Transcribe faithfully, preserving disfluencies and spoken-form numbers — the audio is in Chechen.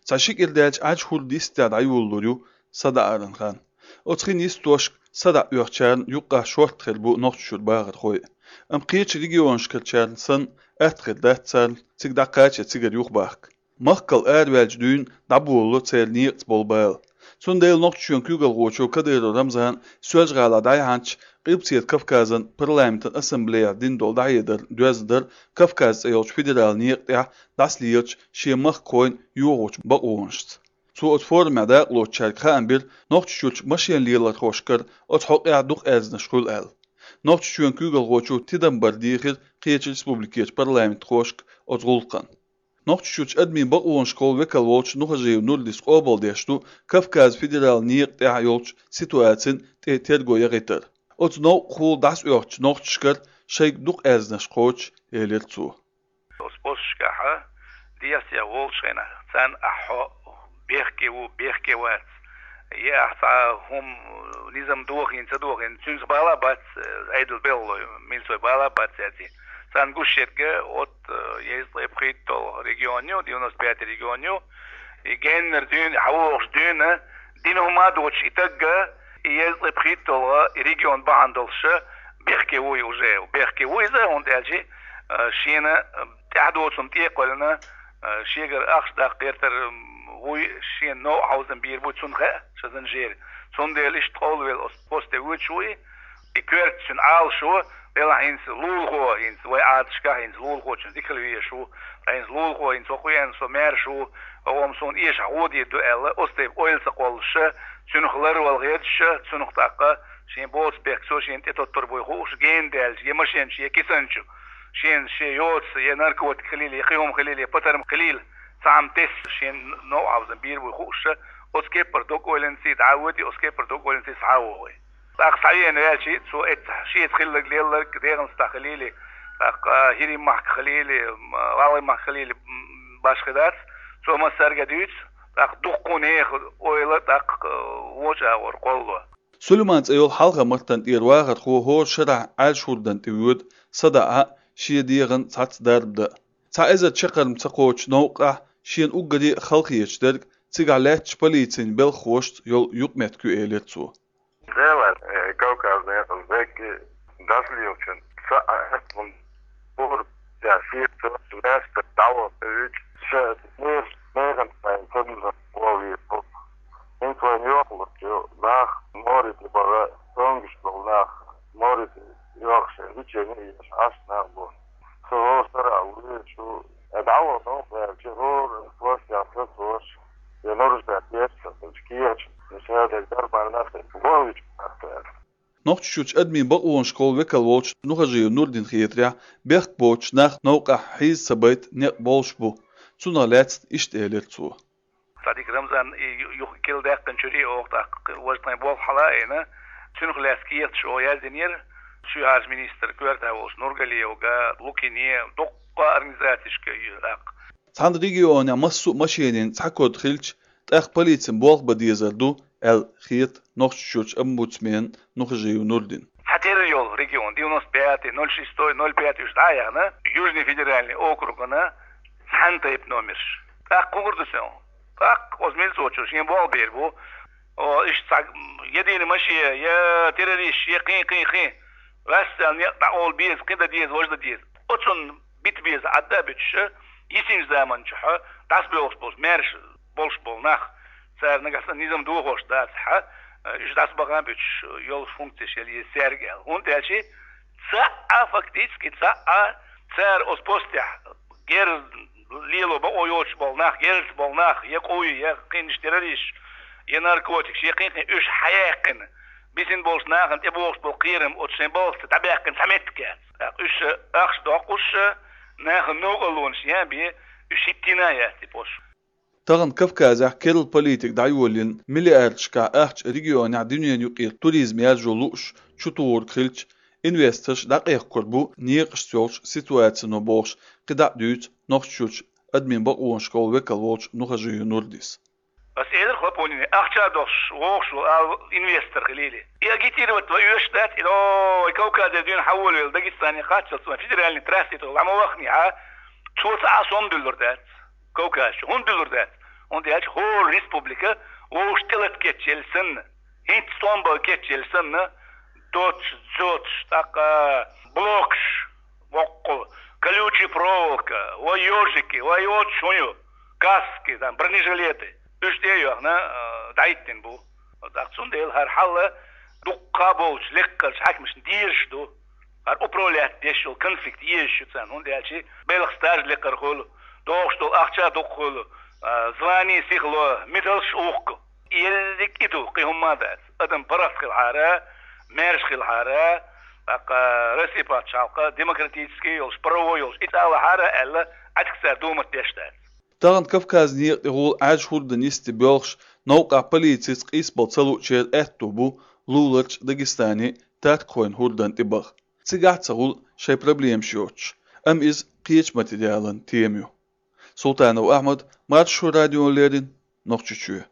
Цхьа ши кӀира даьлча Ӏаьржа хӀур дистте дӀайолалур ю садаӀаран хан. Оцу хин йистошка садаӀа оьхучарна юккъахь шортта хир бу Нохчийчуьра бахархой. Амма кхечу регионашкарчарна санна атта хир дац царна цига дӀакхача я цигара юхабахка. Махкал араваьллачу дуьйна дӀаболало церан некъаца болу бала. Цундела Нохчийчоьнан куьйгалхочо Кадыров Рамзана Соьлжа-ГӀалахь дӀаяхьначу Къилбаседа Кавказан парламентан ассамблеяхь дина долу дӀахьедар доьзна дара Кавказ цӀе йолчу федералан некъа тӀехь дӀасалелачу шен махкахойн йохочу бакъонашца. Цо оцу форумехь дакъалоцучаьрга хаам бира, Нохчийчуьрчу машен лелорхошкара оцу хьокъехь дукха аьрзнаш хуьлу аьлла. Нохчийчоьнан куьйгалхочо тидам бар дийхира кхечу республикерчу парламентхошка оцу гӀуллакхна. Нохчийчуьрчу адамийн бакъонашкахула векал волчу Нухажиев Нурдис къобалдеш ду Кавказ федералан некъа тӀехь йолчу ситуацин тӀе терго яхийтар. Оцу новкъахула дӀасаоьхучу нохчашкара шайга дукха аьрзнаш кхочуш, элира цо. Оцу посташкахь дехьа-сехьа волчу хенахь царна ахь хьо бехке ву, бехке вац, е ахь цхьа хӀума, низам дохийна, ца дохийна, цуьнца бала а бац, Ӏедал белхалой, милицой бала а бац яций. Царна гуш ерг оцу, э, езткъе пхийтталгӀа регион ю, девяносто пятый регион ю, и геннара дуьйна, хьавогӀуш дуьйна, дина хӀума а доцуш и таг, и езткъе пхийтталгӀа и регион бахьана долуш бехке ву и уже. Бехке ву иза, хӀунда аьлча, э, шена, э, тӀаьхьадоцург тӀе а кхоьллина, э, шегара ахча даккха гӀертар, м, вуй, шена новкъа хьовзам бийр бу, цунна хаьа, шазан жери. Цундела иштта къовлавелла оцу посте воьдуш ву и, и коьрта цуьнан Ӏалашо, делахь хӀинца лулахо, хӀинца вай Ӏадаташкахь хӀинца лулахочун дика хила везаш ву, ткъа хӀинца лулахо, хӀинца хӀокху веана со маьрша ву, хӀокху-м суна эшахь гӀо дийр ду аьлла, оцу тайпа ойла ца кхоллуш, цуьнах ларвала хеташ, цунах тӀаккха шен боцу бехк цо шена тӀетоттур буй хууш, гена даьлча, я машен чу, я кисана чу, шена шен йоцу, я наркотик хилийла, я кхин хӀума хилийла, я патарма хилийла, цхьа хӀума тесса, шена новкъа хьовзам бийр буй хууш, оцу кеппара дог-ойланций дӀа а воьдий, оцу кеппара дог-ойланций схьа а вогӀий. ТӀаккха схьавеана ваьлча, цо эццахь шеца хилларг лелларг, дегӀан стахь хилийла, тӀаккха хӀирийн махка хилийла, м, гӀалгӀайн махка хилийла, м, башха дац, цо массаьрга дуьйцу, тӀаккха дуккха нехан ойла тӀаккха, э, вочу агӀор кхоллало. Сулайман цӀе йолу Хьалха-Мартан тӀера вахархо хӀора шарахь Ӏаьржа хӀурдан тӀе воьду садаӀа а, шен дегӀан цхьацца дарба дан а. Цхьа эзар чаккхарма ца кхочу новкъахь шена уггаре а халахеташ дерг цигахь лаьттачу полицин белхахошца йолу юкъаметтиг ю, элира цо. Делан, э, Кавказан некъаца дерг дӀасалелачун цхьа а аьтту пурба я шеца лаьцна дӀавахана вуьйцу ша нер-, нехан цхьаьна кадамзан гӀовгӀа вийр бу. ХӀинца вайна йохалург ю, нах море тӀе бахана, цомгуш болу нах море тӀе йохуш, лечение еш Ӏаш нах бу. Со хӀора шарахь вуьйцуш ву, э, дӀавахана ву аьлча, хӀора площадь сацош, я нарушать еш ца хилча, кехаташ, я шадерг дарбан нах гӀовгӀа вуьйцуш нах аьлла. Нохчийчуьрчу адамийн бакъонашкахула векал волчу Нухажиев Нурдина хетарехь, бехк боцуш нах новкъахь хьийза ца байта некъ болуш бу. Цунах лаьцна иштта элира цо. Цадик Рамзан и ю-, юха килдаьккхинчуьра оха тӀаккха важа тхайн болх хьала а йина, цуьнах лаьцна кехаташ оха яздинера, ши хьарча министр коьртехь волчу Нургалиевга, Лукине, дуккха организацешка ю-, тӀаккха. Цхьана регионехь массо а машенийн цхьа кода хилча, тӀаккха полицин болх бан дезар ду, аьлла хета Нохчийчуьрчу омбудсменна Нухажиев Нурдина. Цхьатерра йолу регион, девяносто пятый, ноль шестой, ноль пятый уьш дӀа а яхна, Южный федеральный округана цхьана тайпа номерш. ТӀаккха хӀун хир ду цунах? ТӀаккха оцу милицочо шен болх бийр бу. О, иштта цхьа, я дийна машен, я террористаш, я кхин, кхин, кхин. Ваьсса некъ дӀакъовла беза, кхин дан деза, важа дан деза. Оцунна бита беза, Ӏадда а буьтуш, йисинчу заманчохь дӀасабоьлхуш болчу, маьрша болуш болу нах, цара нагахь санна низам дохош дацахь, уьш дӀасабаха а буьтуш йолуш функцеш яла еза цаьрга аьлла. ХӀунда аьлча цхьа а, фактически цхьа а цара оцу постехь герз лело бакъо йоцуш болу нах, герзаца болу нах, я къуй, я кхин террористаш, я наркотикаш, я кхин-кхин уьш хьаяьккхина, бисина болчу нахана тӀебогӀуш болу кхерам оцу шайн балхаца дӀабаьккхина цхьа меттиг яц. ТӀаккха уьш ахча доккхуш, нахана новкъарлонаш ян бен, уьш хӀиттийна а яц и пост. Тахана Кавказехь керла политика дӀайоллина, миллиардашкахь ахча регионехь дуьненан юкъера туризм яржо лууш чутухург хилча, инвесторш дӀакъехкур бу некъашца йолчу ситуацино бохуш, кхидӀа а дуьйцу Нохчийчуьрчу адамийн бакъонашкахула векал волчу Нухажиев Нурдис. Ас элира Хлопонине, ахча а дохуш вогӀуш ву ала инвестор хилийла. И агитировать ван оьшуш дац, и, о, вай Кавказера дуьйна хьаволавелла Дагестане кхаччалц вайн федеральный трассе тӀе ла ма вахнехьа, цо цхьа а сом дуьллур дац Кавказ чу. ХӀунда дуьллур дац? ХӀунда аьлча хӀора республика вовшашта тӀелата кечъелла санна, хӀинца тӀом бан кечъелла санна, доцаш, зоцаш, тӀаккха блокаш, воккхул, колючая проволока, ва ёжики, ва йоцаш хӀун ю, каски, там, бронежилеты, уьш тӀе а йоьхна, а, дӀахӀиттина бу. ТӀаккха цундела хӀара хьал дуккха болча лекхарча хьаькамашна дезаш ду. ХӀара управлять деш йола конфликт езаш ю царна, хӀунда аьлча белхан стаж лекхар хуьлу, догӀуш долу ахча дукха хуьлу, а, звание, сихло, медалш ухку. Ерриг и ду, кхин хӀумма а дац. Адам паргӀат хилахьара, маьрша хилахьара, тӀаккха Россия пачхьалкх демократически йолуш, правовой йолуш, и цӀа лахьара аьлла, Ӏаьдка цара думат деш дац. Тахана Кавказан некъа тӀехула Ӏаьржа хӀордан йисте боьлхуш, новкъахь полицица къийсабала ца луучеран аьтто бу луларчу Дагестане таттахойн хӀордан тӀе баха. Цигахь а ца хуьлу шайн проблемаш йоцуш, амма иза кхечу материалан тема ю. Султанов Ахьмад, Маршо радиона леррина, Нохчийчоь.